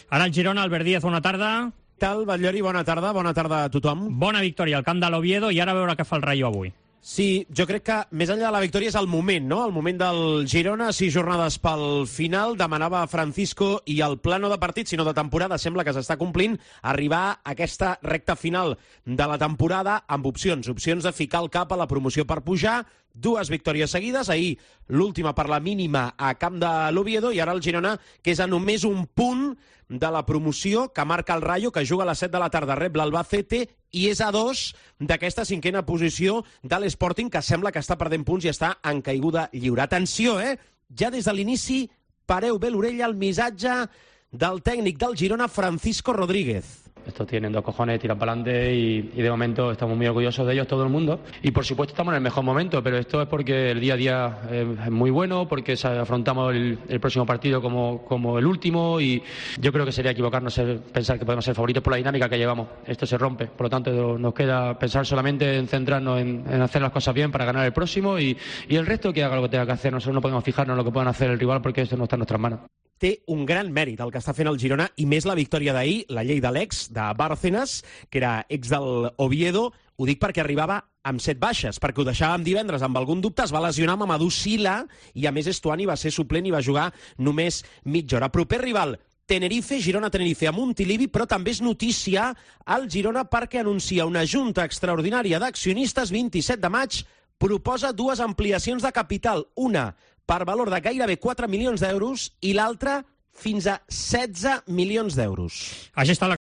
Ara el Girona, Albert Díaz, bona tarda. Tal, Batllori, bona tarda a tothom. Bona victòria al camp de l'Oviedo i ara a veure què fa el Rayo avui. Sí, jo crec que més enllà de la victòria és el moment, no? El moment del Girona, 6 jornades pel final, demanava Francisco, i el plano de partit, sinó de temporada, sembla que s'està complint, arribar a aquesta recta final de la temporada amb opcions de ficar el cap a la promoció per pujar, 2 victòries seguides, ahir l'última per la mínima a camp de l'Oviedo, i ara el Girona, que és a només un punt de la promoció, que marca el Rayo, que juga a les 7 de la tarda, rep l'Albacete, i és a 2 d'aquesta 5a posició de l'Sporting, que sembla que està perdent punts i està en caiguda lliure. Atenció, ja des de l'inici, pareu bé l'orella al missatge del tècnic del Girona, Francisco Rodríguez. Estos tienen 2 cojones, tiran para adelante y de momento estamos muy orgullosos de ellos, todo el mundo. Y por supuesto estamos en el mejor momento, pero esto es porque el día a día es muy bueno, porque afrontamos el próximo partido como el último, y yo creo que sería equivocarnos pensar que podemos ser favoritos por la dinámica que llevamos. Esto se rompe, por lo tanto nos queda pensar solamente en centrarnos en hacer las cosas bien para ganar el próximo, y el resto que haga lo que tenga que hacer. Nosotros no podemos fijarnos en lo que puedan hacer el rival porque esto no está en nuestras manos. Té un gran mèrit el que està fent el Girona, i més la victòria d'ahir, la llei de l'ex, de Bárcenas, que era ex del Oviedo. Ho dic perquè arribava amb 7 baixes, perquè ho deixàvem divendres amb algun dubte, es va lesionar amb Amadou Sila, i a més Estuani va ser suplent i va jugar només mitja hora. Proper rival, Tenerife, Girona-Tenerife a Montilivi, però també és notícia al Girona perquè anuncia una junta extraordinària d'accionistes 27 de maig, proposa 2 ampliacions de capital, una per valor de gairebé 4 milions d'euros i l'altra fins a 16 milions d'euros. Així està la